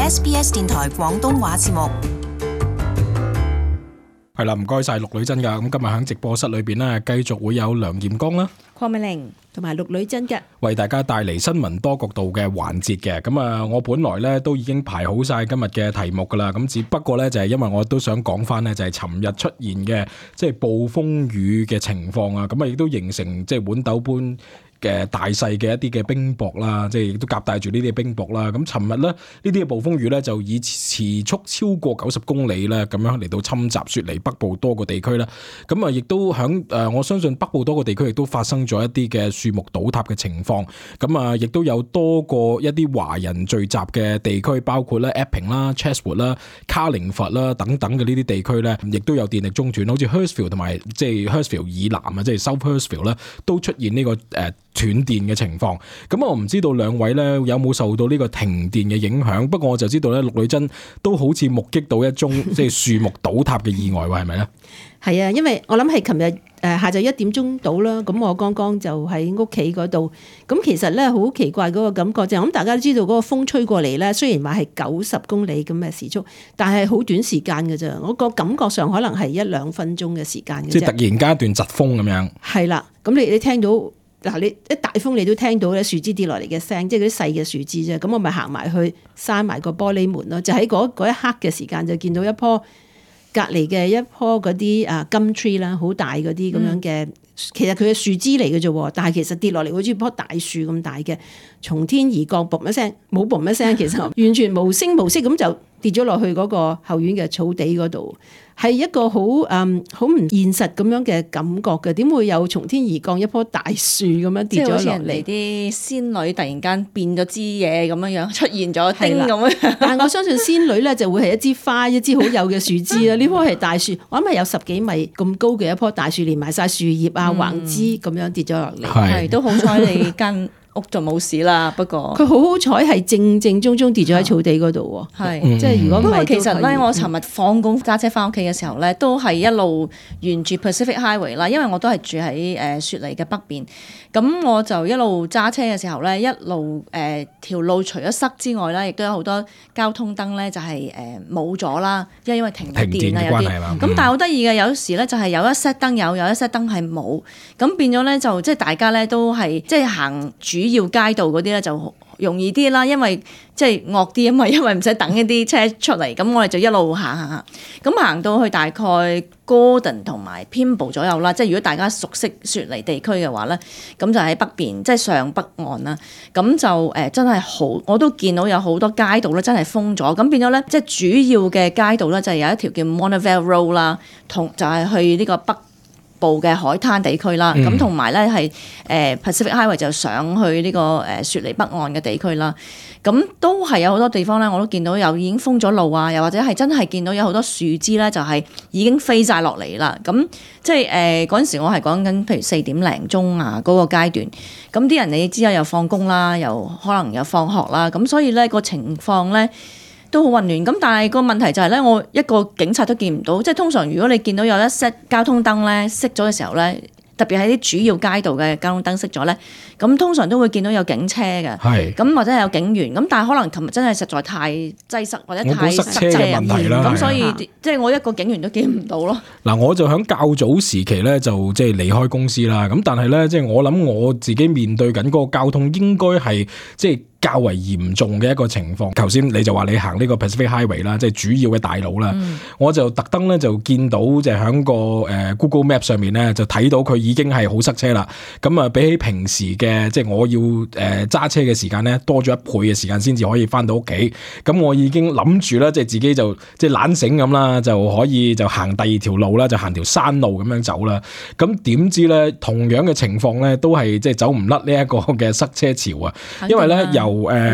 SBS 電台廣東話節目。係啦，唔該晒陸女真㗎。咁今日喺直播室裏邊呢，繼續會有梁劍剛啦、鄺美玲同埋陸女真嘅，為大家帶嚟新聞多角度嘅環節嘅。咁啊，我本來呢都已經排好晒今日嘅題目㗎啦。咁只不過呢，就係因為我都想講翻呢，就係尋日出現嘅即係暴風雨嘅情況啊。咁啊，亦都形成即係碗斗般嘅大細嘅一啲嘅冰雹啦，即係亦都夾帶住呢啲嘅冰雹啦。咁尋日咧，呢啲嘅暴風雨咧就以時速超過90公里咧，咁樣嚟到侵襲雪梨北部多個地區啦。咁啊，亦都響我相信北部多個地區亦都發生咗一啲嘅樹木倒塌嘅情況。咁啊，亦都有多個一啲華人聚集嘅地區，包括咧 Epping 啦、Chatswood 啦、卡靈佛啦等等嘅呢啲地區咧，亦都有電力中斷，好似 Hurstville 同埋即係 Hurstville 以南啊，即係 South Hurstville 咧，都出現呢個斷電嘅情況。咁我唔知道兩位咧有冇受到呢個停電嘅影響，不過我就知道咧陸女真都好似目擊到一宗即係樹木倒塌嘅意外喎，係咪咧？係啊，因為我諗係琴日下晝1點鐘到啦，咁我剛剛就喺屋企嗰度，咁其實咧好奇怪嗰個感覺就係，咁大家都知道嗰個風吹過嚟咧，雖然話係90公里咁嘅時速，但係好短時間嘅啫，我個感覺上可能係1-2分鐘嘅時間嘅啫。即係突然間一段疾風咁樣。係啦，咁你聽到嗱，你一大風你都聽到咧樹枝跌落嚟嘅聲，即係嗰啲細嘅樹枝啫。咁我咪行埋去閂埋個玻璃門咯，就喺嗰一刻嘅時間就見到一棵隔離嘅一棵嗰啲gum tree啦，好大嗰啲咁樣嘅，其實佢嘅樹枝嚟嘅啫，但係其實跌落嚟好似棵大樹咁大嘅，從天而降，嘣一聲，冇嘣一聲，其實完全無聲無息咁就跌咗落去嗰個後院嘅草地嗰度。係一個好唔現實咁樣嘅感覺嘅，點會有從天而降一棵大樹咁樣跌咗落嚟？即係好似人哋啲仙女突然間變咗支嘢咁樣樣出現咗丁咁樣。但係我相信仙女咧就會係一支花，一支好幼嘅樹枝啦。呢棵係大樹，我諗係有10幾米咁高嘅一棵大樹，連埋晒樹葉啊、橫枝咁樣跌咗落嚟。係都好彩你間屋就冇事啦，不過佢好彩係正正宗宗跌咗喺草地嗰度喎。係，即係如果唔係，不過其實咧，我尋日放工揸車翻屋企嘅時候咧，都係一路沿住 Pacific Highway 啦，因為我都係住喺雪梨嘅北邊，咁我就一路揸車嘅時候咧，一路條路除咗塞之外咧，亦都有好多交通燈咧就係冇咗啦，因為停電啊有啲。咁但係好得意嘅，有時咧就係有一 set 燈有一 set 燈係冇，咁變咗咧就即係大家咧都係即係行主要街道嗰啲咧就容易啲啦，因為即係惡啲啊嘛，因為唔使等一啲車出嚟，咁我哋就一路行，咁行到去大概 Gordon 同埋 Pymble 左右啦，即係如果大家熟悉雪梨地區嘅話咧，咁就喺北邊，即係上北岸啦，咁就真係好，我都見到有好多街道咧真係封咗，咁變咗咧即係主要嘅街道咧就係有一條叫 Monavale Road 啦，同就係去呢個北部嘅海灘地區啦，咁同埋咧係Pacific Highway 就上去呢個雪梨北岸嘅地區啦，咁都係有好多地方咧，我都見到有已經封咗路啊，又或者係真係見到有好多樹枝咧，就係已經飛晒落嚟啦。咁即係嗰陣時我係講緊譬如4點零鐘啊嗰個階段，咁啲人你知啊又放工啦，又可能又放學啦，咁所以咧個情況咧都好混亂，咁但係個問題就係咧，我一個警察都見唔到，即係通常如果你見到有一 set 交通燈咧熄咗嘅時候咧，特別係啲主要街道嘅交通燈熄咗咧，咁通常都會見到有警車嘅，咁或者係有警員，咁但係可能琴日真係實在太擠塞或者太塞車嘅問題啦，咁所以即係我一個警員都見唔到咯。嗱，我就喺較早時期咧就即係離開公司啦，咁但係咧即係我諗我自己面對緊嗰個交通應該係即係較為嚴重嘅一個情況。頭先你就話你行呢個 Pacific Highway 啦，即係主要嘅大路啦，我就特登咧就見到就喺個Google Map 上面咧就睇到佢已經係好塞車啦。咁啊，比起平時嘅即係我要揸車嘅時間咧多咗1倍嘅時間先至可以翻到屋企。咁我已經諗住啦，即係自己就即係懶醒咁啦，就可以就行第二條路啦，就行條山路咁樣走啦。咁點知咧同樣嘅情況咧都係即係走唔甩呢一個嘅塞車潮啊，因為咧由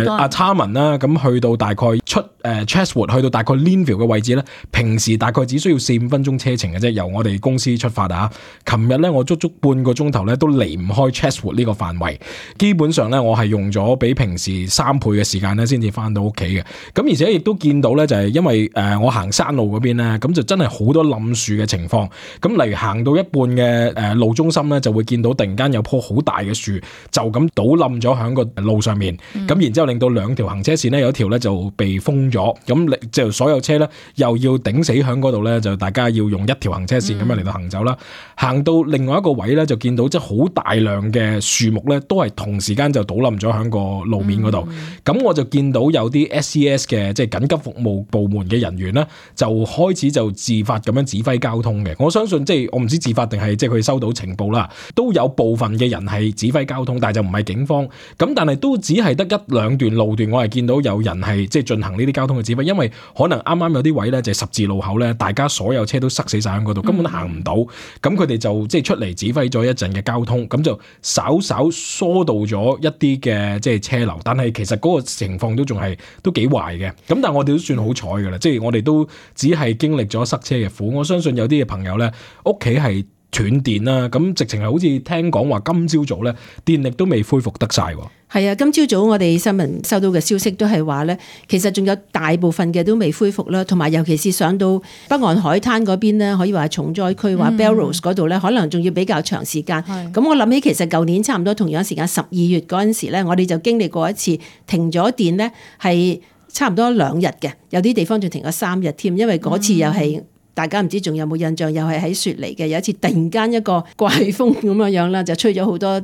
阿差文啦，咁去到大概出Chatswood 去到大概 Linville 嘅位置咧，平時大概只需要4-5分鐘車程嘅啫，由我哋公司出發啊。琴日咧我足足半個鐘頭咧都離唔開 Chatswood 呢個範圍，基本上咧我係用咗比平時3倍嘅時間咧先至翻到屋企嘅。咁而且亦都見到咧就係因為我行山路嗰邊咧，咁就真係好多冧樹嘅情況。咁例如行到一半嘅路中心咧，就會見到突然間有棵好大嘅樹就咁倒冧咗喺個路上面，咁然之後令到2條行車線咧有一條咧就被封咗，咁就所有車咧又要頂死響嗰度咧，就大家要用一條行車線咁樣嚟到行走啦。行到另外一個位咧，就見到即係好大量嘅樹木咧，都係同時間就倒冧咗響個路面嗰度。咁我就見到有啲 SCS 嘅即係緊急服務部門嘅人員咧，就開始就自發咁樣指揮交通嘅。我相信即係我唔知自發定係即係佢收到情報啦，都有部分嘅人係指揮交通，但係就唔係警方。咁但係都只係得一兩段路段，我係見到有人係即係進行呢啲交通嘅指揮，因為可能啱啱有啲位咧就係十字路口咧，大家所有車都塞死晒喺嗰度，根本都行唔到。咁佢哋就即係出嚟指揮咗一陣嘅交通，咁就稍稍疏導咗一啲嘅即係車流，但係其實嗰個情況都仲係都幾壞嘅。咁但係我哋都算好彩㗎啦，即係我哋都只係經歷咗塞車嘅苦。我相信有啲嘅朋友咧，屋企係斷電啦，咁直情係好似聽講話今朝早咧電力都未恢復得晒。係啊，今朝早我哋新聞收到嘅消息都係話咧，其實仲有大部分嘅都未恢復啦，同埋尤其是上到北岸海灘嗰邊咧，可以話係重災區，話 Belrose 嗰度咧，可能仲要比較長時間。咁我諗起其實舊年差唔多同樣時間12月嗰陣時咧，我哋就經歷過一次停咗電咧，係差唔多2日嘅，有啲地方仲停咗3日添，因為嗰次又係。大家唔知仲有冇印象，又係喺雪梨嘅，有一次突然間一個怪風咁樣啦，就吹咗好多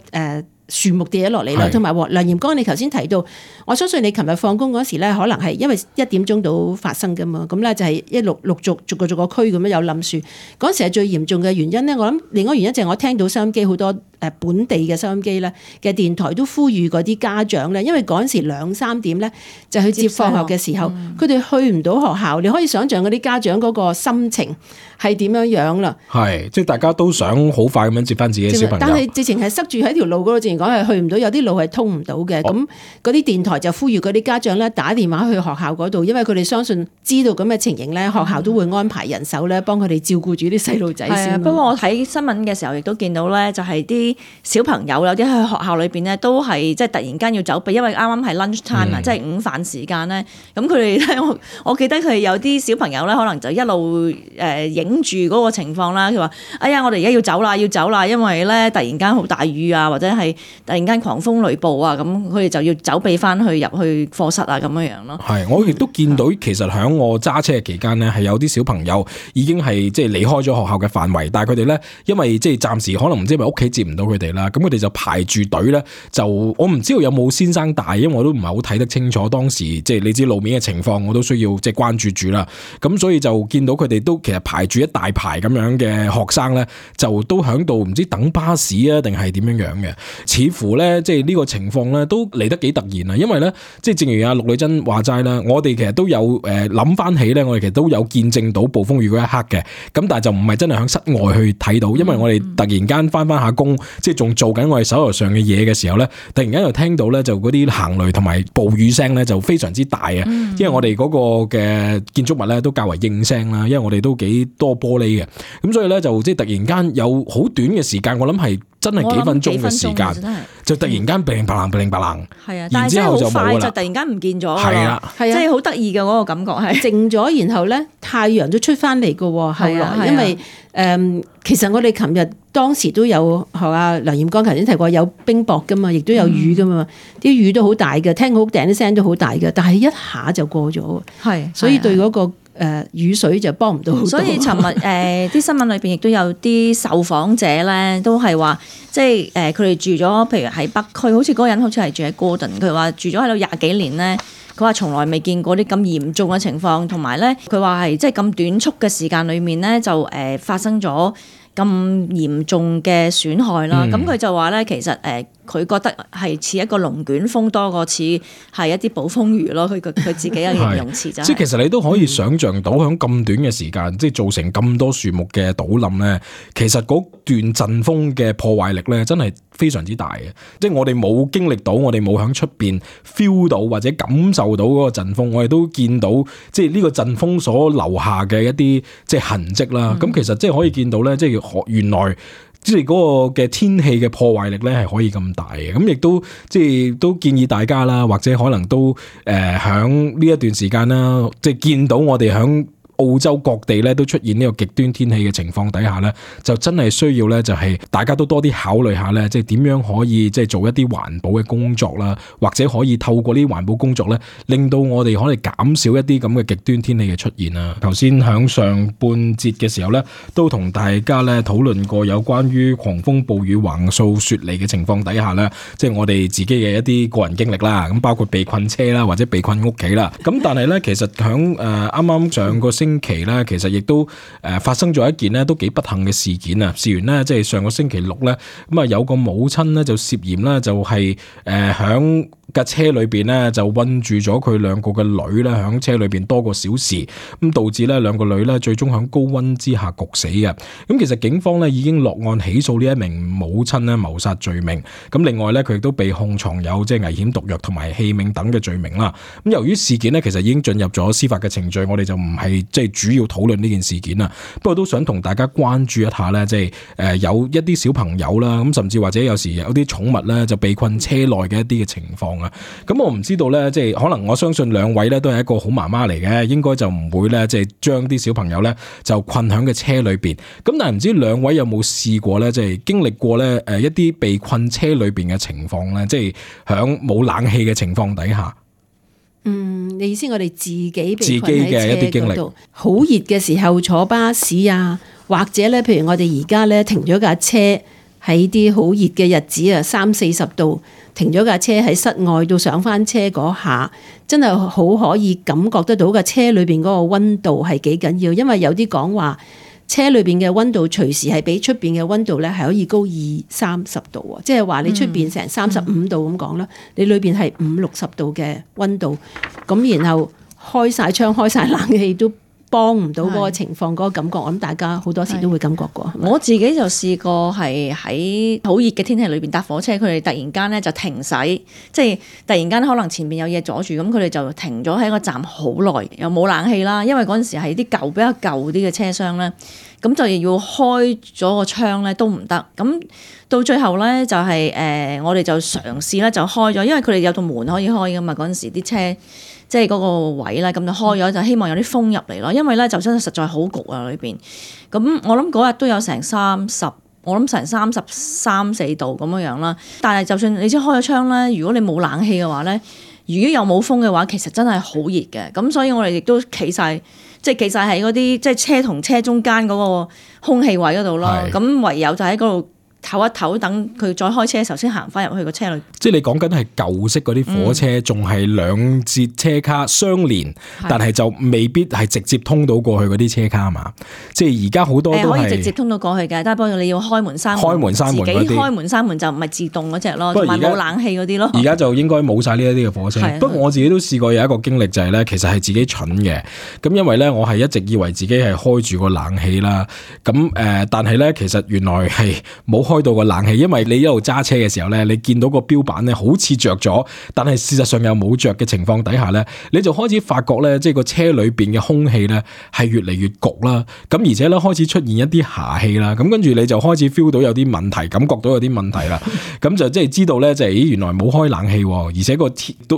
樹木跌咗落嚟啦，同埋梁炎光，你頭先提到，我相信你琴日放工嗰時咧，可能係因為1點鐘到發生噶嘛，咁咧就係一陸續逐個區咁樣有冧樹，嗰時係最嚴重嘅原因咧。我諗另外原因就係我聽到收音機好多本地嘅收音機咧嘅電台都呼籲嗰啲家長咧，因為嗰陣時2、3點咧就去接放學嘅時候，佢哋去唔到學校，你可以想象嗰啲家長嗰個心情係點樣樣啦。係，即係大家都想好快咁樣接翻自己嘅小朋友，但係直情係塞住喺條路嗰度，直情講係去唔到，有啲路係通唔到嘅。咁嗰啲電台就呼籲嗰啲家長咧打電話去學校嗰度，因為佢哋相信知道咁嘅情形咧，學校都會安排人手咧幫佢哋照顧住啲細路仔先。不過我睇新聞嘅時候亦都見到咧，就係啲小朋友有啲喺學校裏邊咧都係即係突然間要走避，因為啱啱係 lunch time 啊，即係午飯時間咧。咁佢哋咧，我記得佢哋有啲小朋友咧，可能就一路影住嗰個情況啦。佢話：哎呀，我哋而家要走啦，因為咧突然間好大雨啊，或者係突然間狂風雷暴啊，咁佢哋就要走避翻去入去課室啊，咁樣樣咯。係，我亦都見到其實喺我揸車嘅期間咧，係有啲小朋友已經係即係離開咗學校嘅範圍，但係佢哋咧因為即係暫時可能唔知係咪屋企接唔到佢哋啦，咁佢哋就排住隊咧，就我唔知道有冇先生帶，因為我都唔係好睇得清楚當時即係你知路面嘅情況，我都需要即係關注住啦。咁所以就見到佢哋都其實排住一大排咁樣嘅學生咧，就都喺度唔知等巴士啊定係點樣樣嘅，似乎咧即係呢個情況咧都嚟得幾突然啊！因為咧即係正如阿陸女珍話齋啦，我哋其實都有諗翻起咧，我哋其實都有見證到暴風雨嗰一刻嘅，咁但係就唔係真係喺室外去睇到，因為我哋突然間翻下工，即係仲做緊我哋手頭上嘅嘢嘅時候咧，突然間又聽到咧就嗰啲行雷同埋暴雨聲咧就非常之大啊！因為我哋嗰個嘅建築物咧都較為應聲啦，因為我哋都幾多玻璃嘅，咁所以咧就即係突然間有好短嘅時間，我諗係真係幾分鐘嘅時間，就突然間乒乓啷，係啊，然之後就冇啦，就突然間唔見咗，係啦，即係好得意嘅嗰個感覺係靜咗，然後咧太陽都出翻嚟嘅喎，後來因為其實我哋琴日當時都有學阿梁炎光頭先提過有冰雹噶嘛，亦都有雨噶嘛，啲雨都好大嘅，聽好頂啲聲都好大嘅，但係一下就過咗，係，所以對嗰個雨水就幫唔到好多。所以尋日啲新聞裏邊亦都有啲受訪者咧，都係話即係佢哋住咗，譬如喺北區，好似嗰個人好似係住喺 Gordon，佢話住咗喺度20幾年咧。佢話從來未見過啲咁嚴重嘅情況，同埋咧，佢話係即係咁短促嘅時間裏面咧，就發生咗咁嚴重嘅損害啦。咁佢就話咧，其實佢覺得係似一個龍捲風多過似係一啲暴風雨咯。佢自己嘅形容詞就係，即係其實你都可以想像到喺咁短嘅時間，即係造成咁多樹木嘅倒冧咧，其實嗰段陣風嘅破壞力咧，真係非常之大嘅。即係我哋冇經歷到，我哋冇喺出邊 feel 到或者感受到嗰個陣風，我哋都見到即係呢個陣風所留下嘅一啲即係痕跡啦。咁其實即係可以見到咧，即係原來即係嗰個嘅天氣嘅破壞力咧係可以咁大嘅。咁亦都即係都建議大家啦，或者可能都響呢一段時間啦，即係見到我哋響澳洲各地咧都出現呢個極端天氣嘅情況底下咧，就真係需要咧就係大家都多啲考慮下咧，即係點樣可以即係做一啲環保嘅工作啦，或者可以透過呢啲環保工作咧，令到我哋可以減少一啲咁嘅極端天氣嘅出現啊。頭先響上半節嘅時候咧，都同大家咧討論過有關於狂風暴雨橫掃雪梨嘅情況底下咧，即係我哋自己嘅一啲個人經歷啦，咁包括被困車啦，或者被困屋企啦。咁但係咧，其實響啱啱上個星期咧，其實亦都發生咗一件咧都幾不幸嘅事件啊。事緣咧，即係上個星期六咧，咁啊有個母親咧就涉嫌咧就係響架車裏邊咧就韞住咗佢兩個嘅女咧，響車裏邊多個小時，咁導致咧兩個女咧最終響高溫之下焗死嘅。咁其實警方咧已經落案起訴呢一名母親咧謀殺罪名。咁另外咧佢亦都被控藏有即係危險毒藥同埋器皿等嘅罪名啦。咁由於事件咧其實已經進入咗司法嘅程序，我哋就唔係即係主要討論呢件事件啦。不過都想同大家關注一下咧，即係有一啲小朋友啦，咁甚至或者有時有啲寵物咧就被困車內嘅一啲嘅情況啊。咁我唔知道咧，即係可能我相信兩位咧都係一個好媽媽嚟嘅，應該就唔會咧即係將啲小朋友咧就困響嘅車裏邊。咁但係唔知兩位有冇試過咧，即係經歷過咧一啲被困車裏邊嘅情況咧，即係響冇冷氣嘅情況底下。你意思我哋自己被困自己嘅一啲經歷，好熱嘅時候坐巴士啊，或者咧，譬如我哋而家咧停咗架車喺啲好熱嘅日子啊，30-40度，停咗架車喺室外到上翻車嗰下，真係好可以感覺得到架車裏邊嗰個溫度係幾緊要，因為有啲講話車裏邊嘅溫度隨時係比出邊嘅溫度咧係可以高20-30度啊，即係話你出邊成35度咁講啦，你裏邊係50-60度嘅溫度，咁然後開晒窗開晒冷氣都幫唔到嗰個情況，嗰個感覺，我諗大家好多時都會感覺過。我自己就試過係喺好熱嘅天氣裏邊搭火車，佢哋突然間咧就停駛，即係突然間可能前面有嘢阻住，咁佢哋就停咗喺個站好耐，又冇冷氣啦，因為嗰陣時係啲比較舊啲嘅車廂咧，咁就要開咗個窗咧都唔得，咁到最後咧就係我哋就嘗試咧就開咗，因為佢哋有道門可以開噶嘛，嗰陣時啲車。即係嗰個位咧，咁就開咗，就希望有啲風入嚟咯。因為咧就真係實在好焗啊裏邊。咁我諗嗰日都有成33-34度咁樣樣啦。但係就算你知開咗窗咧，如果你冇冷氣嘅話咧，如果又冇風嘅話，其實真係好熱嘅。咁所以我哋亦都企晒喺嗰啲即係車同車中間嗰個空氣位嗰度咯。咁唯有就喺嗰度唞一唞，等佢再開車嘅時候先行翻入去個車裏。即係你講緊係舊式嗰啲火車，仲係兩節車卡相連，但係就未必係直接通到過去嗰啲車卡嘛。即係而家好多都係可以直接通到過去嘅，但係不過你要開門閂門自己開門閂門就唔係自動嗰隻咯，同埋冇冷氣嗰啲咯。而家就應該冇晒呢一啲嘅火車。不過我自己都試過有一個經歷就係咧，其實係自己蠢嘅。咁因為咧，我係一直以為自己係開住個冷氣啦。咁但係咧，其實原來係冇開到個冷氣，因為你一路揸車嘅時候咧，你見到個標板咧好似着咗，但係事實上又冇着嘅情況底下咧，你就開始發覺咧，即係個車裏邊嘅空氣咧係越嚟越焗啦。咁而且咧開始出現一啲霞氣啦。咁跟住你就開始 feel 到有啲問題，感覺到有啲問題啦。咁就即係知道咧，就係原來冇開冷氣，而且個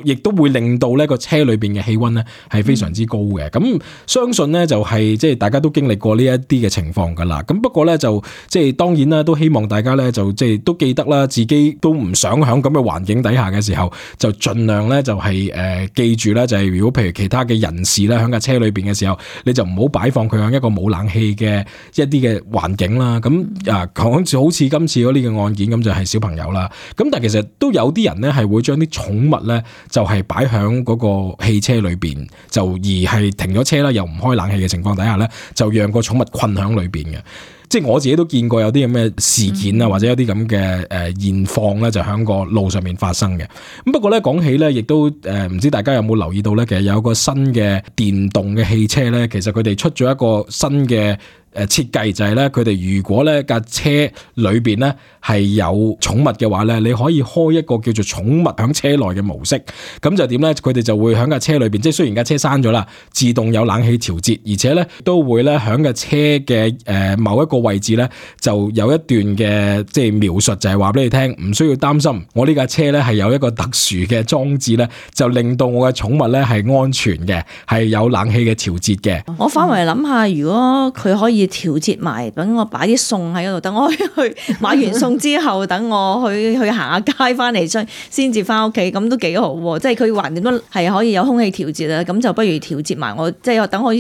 亦都會令到呢個車裏邊嘅氣溫咧係非常之高嘅。咁相信咧就係即係大家都經歷過呢一啲嘅情況噶啦。咁不過咧就即係當然啦，都希望大家咧就即係都記得啦，自己都唔想喺咁嘅環境底下嘅時候，就盡量咧就係記住咧，就係如果譬如其他嘅人士咧喺架車裏邊嘅時候，你就唔好擺放佢喺一個冇冷氣嘅一啲嘅環境啦。咁好似今次嗰啲嘅案件咁就係小朋友啦。咁但係其實都有啲人咧係會將啲寵物咧就係擺喺嗰個汽車裏邊，就而係停咗車啦，又唔開冷氣嘅情況底下咧，就讓個寵物困喺裏邊嘅。即係我自己都見過有啲咁嘅事件啊，或者有啲咁嘅現況咧，就喺個路上面發生嘅。咁不過咧講起咧，亦都唔知大家有冇留意到咧，其實有個新嘅電動嘅汽車咧，其實佢哋出咗一個新嘅設計就係咧，佢哋如果咧架車裏邊咧係有寵物嘅話咧，你可以開一個叫做寵物響車內嘅模式。咁就點咧？佢哋就會響架車裏邊，即係雖然架車閂咗啦，自動有冷氣調節，而且咧都會咧響架車嘅某一個位置咧就有一段嘅即係描述，就係話俾你聽，唔需要擔心，我呢架車咧係有一個特殊嘅裝置咧，就令到我嘅寵物咧係安全嘅，係有冷氣嘅調節嘅。我反為諗下，如果佢可以調節埋，等我擺啲餸喺嗰度，等我去買完餸之後，等我去行下街翻嚟先至翻屋企，咁都幾好喎。即係佢橫掂都係可以有空氣調節啦，咁就不如調節埋我，即係等我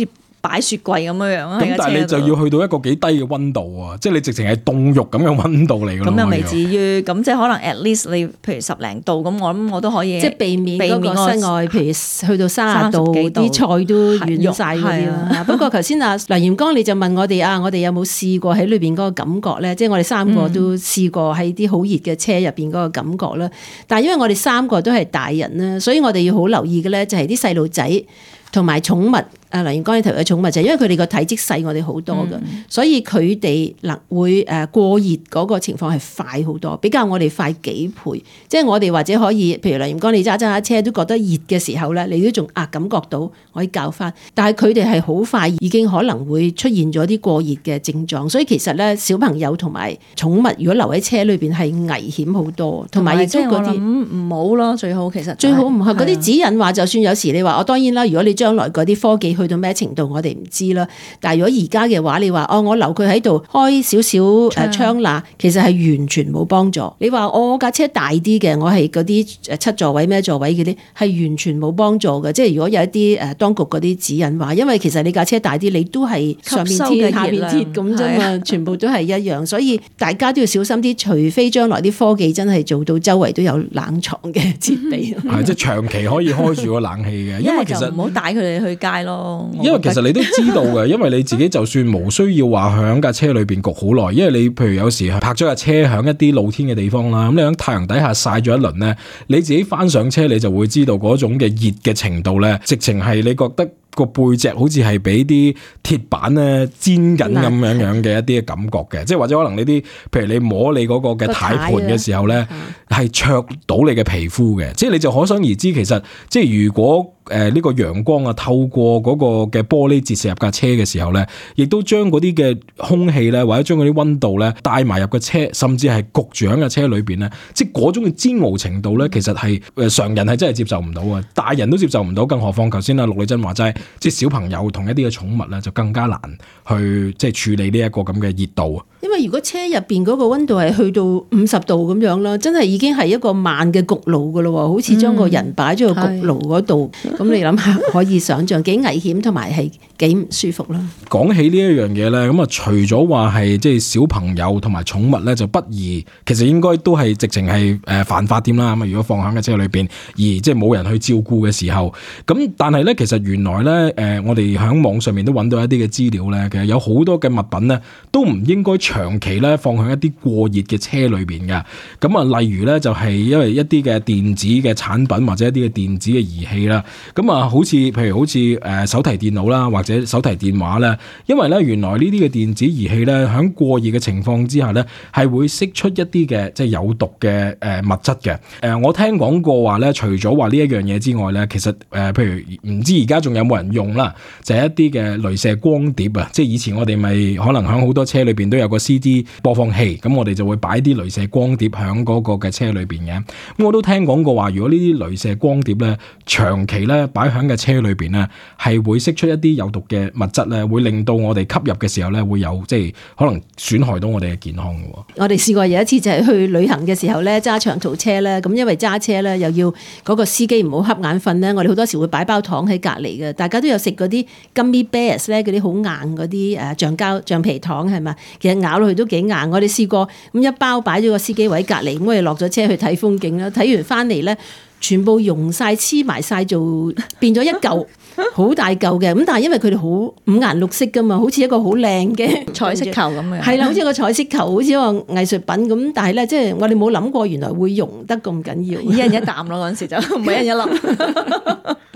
擺雪櫃咁樣啊！咁但係你就要去到一個幾低嘅溫度啊，即係你直情係凍肉咁嘅溫度嚟㗎。咁又未至於，咁即係可能 at least 你譬如10零度咁，我諗我都可以即係避免嗰個室外，譬如去到30度，啲菜都軟晒嗰啲啦。不過頭先梁嚴剛你就問我哋我哋有冇試過喺裏邊嗰個感覺咧？即係我哋3個都試過喺啲好熱嘅車入邊嗰個感覺啦。但係因為我哋3個都係大人啦，所以我哋要好留意嘅咧，就係啲細路仔同埋寵物。梁嚴剛你提嘅寵物就係因為佢哋個體積細我哋好多嘅，所以佢哋會過熱嗰個情況係快好多，比較我哋快幾倍。即係我哋或者可以，譬如梁嚴剛你揸下車都覺得熱嘅時候咧，你都仲感覺到可以較翻。但係佢哋係好快已經可能會出現咗啲過熱嘅症狀，所以其實咧小朋友同埋寵物如果留喺車裏邊係危險好多，同埋亦都嗰啲唔好咯，最好其實最好唔係嗰啲指引話，就算有時你話我當然啦，如果你將來嗰啲科技去到咩程度我哋唔知啦，但係如果而家嘅話你話我留佢喺度開少少窗罅，其實係完全冇幫助。你話我架車大啲嘅，我係嗰啲7座位咩座位嗰啲係完全冇幫助嘅。即係如果有一啲當局嗰啲指引話，因為其實你架車大啲，你都係上面貼下面貼咁啫嘛，全部都係一樣，所以大家都要小心啲，除非將來啲科技真係做到周圍都有冷藏嘅設備。係即係長期可以開住個冷氣嘅，因為其實唔好帶佢哋去街咯。因為其實你都知道嘅，因為你自己就算無需要話響架車裏邊焗好耐，因為你譬如有時泊咗架車響一啲露天嘅地方啦，咁你喺太陽底下曬咗一輪咧，你自己翻上車你就會知道嗰種嘅熱嘅程度咧，直情係你覺得個背脊好似係俾啲鐵板咧煎緊咁樣嘅一啲嘅感覺嘅，即係或者可能你啲譬如你摸你嗰個嘅軚盤嘅時候咧，係灼到你嘅皮膚嘅，即係你就可想而知，其實即係如果呢個陽光透過嗰個嘅玻璃折射入架車嘅時候咧，亦都將嗰啲嘅空氣咧，或者將嗰啲溫度咧帶埋入個車，甚至係焗住喺架車裏邊咧，即係嗰種嘅煎熬程度咧，其實係常人係真係接受唔到啊，大人都接受唔到，更何況頭先陸麗珍話齋，即係小朋友同一啲嘅寵物咧，就更加難去即係處理呢一個咁嘅熱度啊。因為如果車入邊嗰個溫度係去到50度咁樣啦，真係已經係一個慢嘅焗爐噶咯，好似將個人擺咗個焗爐嗰度，咁你諗下可以想象幾危險同埋係幾唔舒服啦。講起呢一樣嘢咧，咁除咗話係即係小朋友同埋寵物咧就不宜，其實應該都係直情係犯法添啦。咁如果放喺架車裏邊，而即係冇人去照顧嘅時候，咁但係咧其實原來咧我哋喺網上面都揾到一啲嘅資料咧，其實有好多嘅物品咧都唔應該長期咧放喺一啲過熱嘅車裏邊嘅。咁例如咧就係因為一啲嘅電子嘅產品或者一啲嘅電子嘅儀器啦，咁譬如好似手提電腦啦或者手提電話咧，因為咧原來呢啲嘅電子儀器咧喺過熱嘅情況之下咧係會釋出一啲嘅即係有毒嘅物質嘅。我聽講過話咧，除咗話呢一樣嘢之外咧，其實譬如唔知而家仲有冇人用啦，就係一啲嘅鐳射光碟啊，即係以前我哋咪可能喺好多車裏邊都有個 CD 播放器，咁我哋就會擺啲鐳射光碟喺嗰個嘅車裏邊嘅。咁我都聽講過話，如果呢啲鐳射光碟咧長期咧擺喺嘅車裏邊咧，係會釋出一啲有毒嘅物質咧，會令到我哋吸入嘅時候咧會有即係可能損害到我哋嘅健康嘅。我哋試過有一次就係去旅行嘅時候咧，揸長途車咧，咁因為揸車咧又要嗰個司機唔好瞌眼瞓咧，我哋好多時會擺包糖喺隔離嘅。大家都有食嗰啲 gummy bears 咧，嗰啲好硬嗰啲橡皮糖係嘛，其實咬落去都幾硬。我哋試過咁一包擺咗個司機位隔離，咁我哋落咗車去睇風景啦，睇完翻嚟咧，全部溶晒黐埋晒，做變咗一嚿好大嚿嘅。咁但係因為佢哋好五顏六色噶嘛，好似一個好靚嘅彩色球咁樣，係啦，好似一個彩色球，好似一個藝術品咁。但係咧，即係我哋冇諗過原來會溶得咁緊要，一人一啖咯，嗰陣時就唔係一人一粒。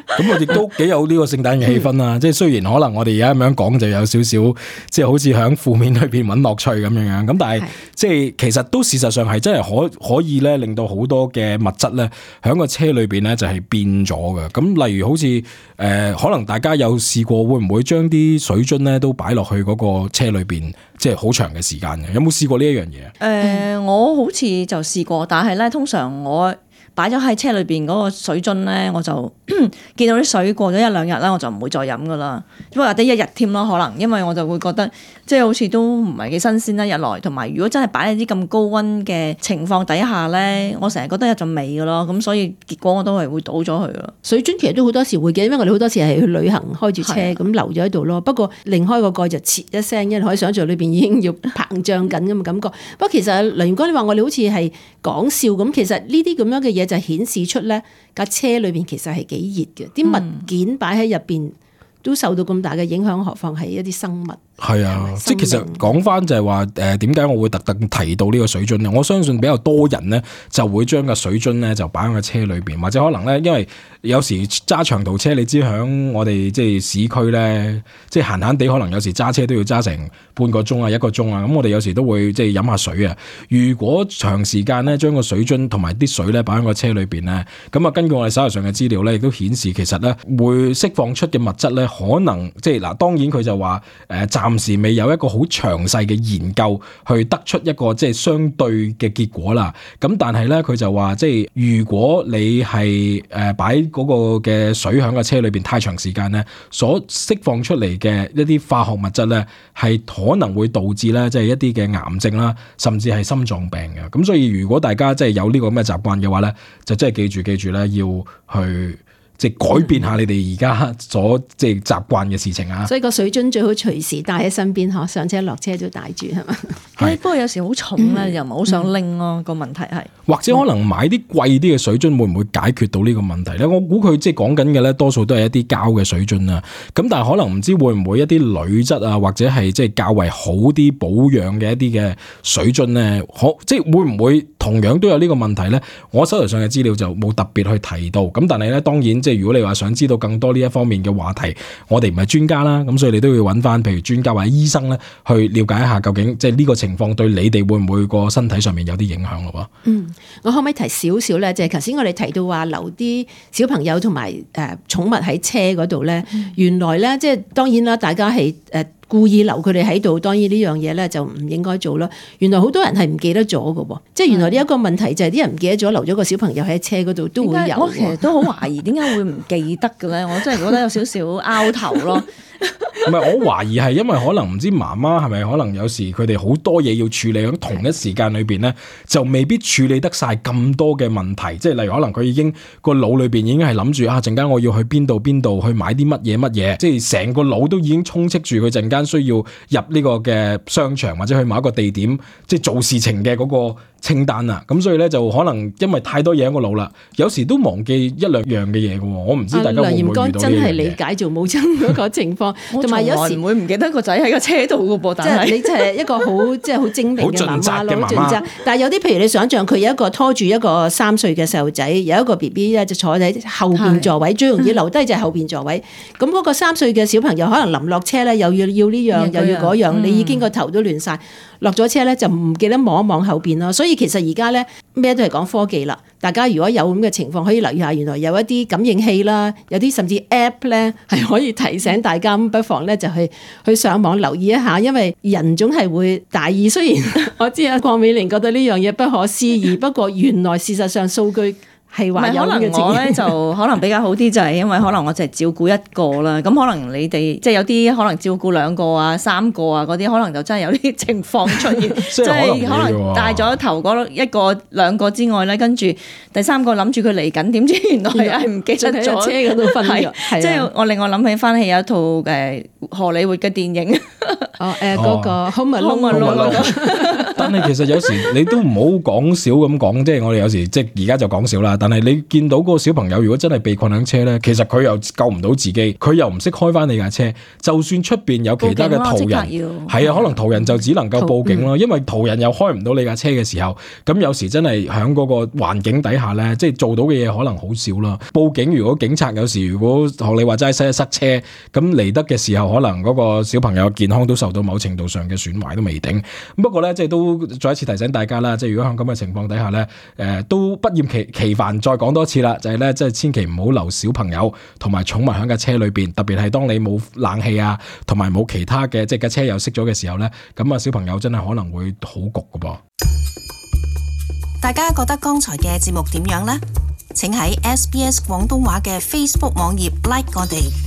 咁我亦都幾有呢個聖誕嘅氣氛啊！即係雖然可能我哋而家咁樣講就有少少，即係好似喺負面裏邊揾樂趣咁樣樣。咁但係即係其實都事實上係真係可以咧，令到好多嘅物質咧喺個車裏邊咧就係變咗嘅。咁例如好似可能大家有試過會唔會將啲水樽咧都擺落去嗰個車裏邊，即係好長嘅時間嘅？有冇試過呢一樣嘢？我好似就試過，但係咧通常我擺咗喺車裏邊嗰個水樽咧，我就見到啲水過咗一兩日咧，我就唔會再飲噶啦，或者一日添咯，可能因為我就會覺得即係好似都唔係幾新鮮啦，日來同埋如果真係擺喺啲咁高溫嘅情況底下咧，我成日覺得有陣味噶咯，咁所以結果我都係會倒咗佢咯。水樽其實都好多時會嘅，因為我哋好多時係去旅行開住車咁留咗喺度咯。不過擰開個蓋就切一聲，因為可以想像裏邊已經要膨脹緊咁嘅感覺。不過其實梁元哥你話我哋好似係講笑咁，其實呢啲咁樣嘅嘢就顯示出咧架車裏邊其實係幾熱嘅，啲物件擺喺入邊都受到咁大嘅影響，何況係一啲生物。係啊，即係其實講翻就係話點解我會特登提到呢個水樽咧？我相信比較多人咧就會將個水樽咧就擺喺個車裏邊，或者可能咧因為有時揸長途車，你知響我哋即係市區咧，即係閒閒地可能有時揸車都要揸成半個鐘啊1個鐘啊，咁我哋有時都會即係飲下水啊。如果長時間咧將個水樽同埋啲水咧擺喺個車裏邊咧，咁啊根據我哋手頭上嘅資料咧，亦都顯示其實咧會釋放出嘅物質咧，可能即係嗱，當然佢就話暫時未有一個好詳細嘅研究去得出一個即係相對嘅結果啦。咁但係咧，佢就話即係如果你係擺嗰個嘅水響個車裏邊太長時間咧，所釋放出嚟嘅一啲化學物質咧，係可能會導致咧即係一啲嘅癌症啦，甚至係心臟病嘅。咁所以如果大家即係有呢個咁嘅習慣嘅話咧，就真係記住咧要去。即係改變下你哋而家所即係習慣嘅事情啊！所以個水樽最好隨時帶喺身邊嗬，上車落車都帶住係嘛？不過有時好重咧，又唔係好想拎咯。個問題係，或者可能買啲貴啲嘅水樽會唔會解決到呢個問題咧？我估佢即係講緊嘅咧，多數都係一啲膠嘅水樽啊。咁但係可能唔知會唔會一啲鋁質啊，或者係即係較為好啲保養嘅一啲嘅水樽咧，即係會唔會同樣都有呢個問題咧？我手頭上嘅資料就冇特別去提到。咁但係咧，當然。即係如果你話想知道更多呢一方面嘅話題，我哋唔係專家啦，咁所以你都要揾翻譬如專家或者醫生咧，去了解一下究竟即係呢個情況對你哋會唔會個身體上面有啲影響咯？我可唔可以提少少咧？就係頭先我哋提到話留啲小朋友同埋寵物喺車嗰度咧，原來咧即係當然啦，大家係故意留佢哋喺度，當然呢樣嘢咧就唔應該做啦。原來好多人係唔記得咗嘅喎，即係原來呢一個問題就係啲人唔記得咗留咗個小朋友喺車嗰度都會有。我其實都好懷疑點解會唔記得嘅咧？我真係覺得有少少拗頭咯。唔係，我懷疑係因為可能唔知媽媽係咪可能有時佢哋好多嘢要處理，喺同一時間裏邊咧，就未必處理得晒咁多嘅問題。即係例如可能佢已經個腦裏邊已經係諗住啊，陣間我要去邊度去買啲乜嘢，即係成個腦都已經充斥住佢陣間需要入呢個嘅商場或者去某一個地點，即係做事情嘅嗰個清單啊。咁所以咧就可能因為太多嘢喺個腦啦，有時都忘記一兩樣嘅嘢嘅。我唔知大家會唔會遇到呢樣嘢。梁炎哥真係理解做母親嗰個情況。同埋有時唔會唔記得個仔喺個車度噶噃，即係你就係一個好即係好精明嘅媽媽咯，好盡責。但係有啲譬如你想象佢有一個拖住一個3歲嘅細路仔，有一個 BB 咧就坐喺後邊座位，最容易留低就係後邊座位。咁嗰個3歲嘅小朋友可能臨落車咧，又要呢樣又要嗰樣，你已經個頭都亂晒。落咗車咧就唔記得望一望後邊咯。所以其實而家咧咩都係講科技啦。大家如果有咁嘅情況，可以留意下，原來有一啲感應器啦，有啲甚至 App 咧係可以提醒大家，不妨咧就去上網留意一下，因為人總係會大意。雖然我知啊，鄺美玲覺得呢樣嘢不可思議，不過原來事實上數據係話有呢個情況。我咧就可能比較好啲，就係因為可能我淨係照顧一個啦。咁可能你哋即係有啲可能照顧2個啊、3個啊嗰啲，可能就真係有啲情況出現，即係可能帶咗頭嗰1個2個之外咧，跟住第3個諗住佢嚟緊，點知原來係唔記得咗車嗰度瞓咗。即係我令我諗起翻起有一套荷里活嘅電影，嗰個 Home Alone 但係其實有時你都唔好講笑咁講，即係我哋有時即係而家就講笑啦。但係你見到嗰個小朋友如果真係被困喺車咧，其實佢又救唔到自己，佢又唔識開翻你架車，就算出邊有其他嘅途人，係啊，可能途人就只能夠報警咯，因為途人又開唔到你架車嘅時候，咁有時真係喺嗰個環境底下咧，即係做到嘅嘢可能好少啦。報警如果警察有時如果學你話齋塞車，咁嚟得嘅時候，可能嗰個小朋友嘅健康都受到某程度上嘅損壞都未定。不過咧，即係都再一次提醒大家啦，即係如果喺咁嘅情況底下咧，都不厭其煩再講多次啦，就係咧，即係千祈唔好留小朋友同埋寵物喺架車裏邊，特別係當你冇冷氣啊，同埋冇其他嘅即係架車又熄咗嘅時候咧，咁啊小朋友真係可能會好焗㗎噃。大家覺得剛才嘅節目點樣呢？請喺SBS 廣東話嘅 Facebook 網頁 like 我哋。